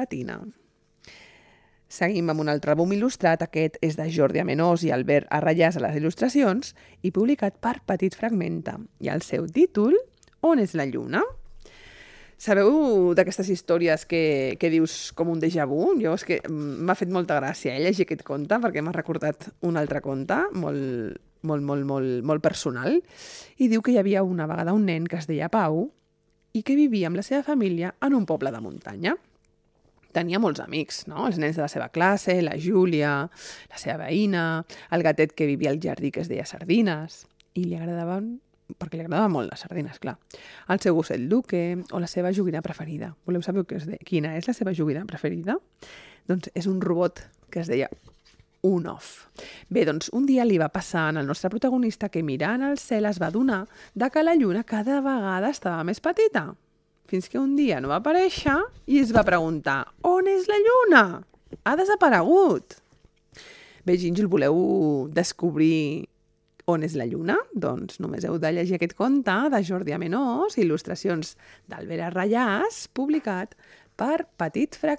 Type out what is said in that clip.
Latina. Seguim amb un altre àlbum il·lustrat. Aquest és de Jordi Amenós i Albert Arrayàs a les il·lustracions i publicat per Petit Fragmenta. I el seu títol, On és la lluna? Sabeu d'aquestes històries que dius com un déjà vu? Jo és que m'ha fet molta gràcia llegir aquest conte perquè m'ha recordat un altre conte molt personal. I diu que hi havia una vegada un nen que es deia Pau i que vivia amb la seva família en un poble de muntanya. Tenia molts amics, no? Els nens de la seva classe, la Júlia, la seva veïna, el gatet que vivia al jardí que es deia Sardines, i li agradaven, perquè li agradaven molt les sardines, clar, el seu gosset Luque o la seva joguina preferida. Voleu saber quina és la seva joguina preferida? Doncs és un robot que es deia Unoff. Bé, doncs un dia li va passar al nostre protagonista que mirant al cel es va adonar que la lluna cada vegada estava més petita. Fins que un dia no va aparèixer i es va preguntar: on és la lluna? Ha desaparegut. Bé, Gínjol, voleu descobrir on és la lluna? Doncs només heu de llegir aquest conte de Jordi Amenós, il·lustracions d'Albert Arrayàs, publicat per Petit Fragmenta.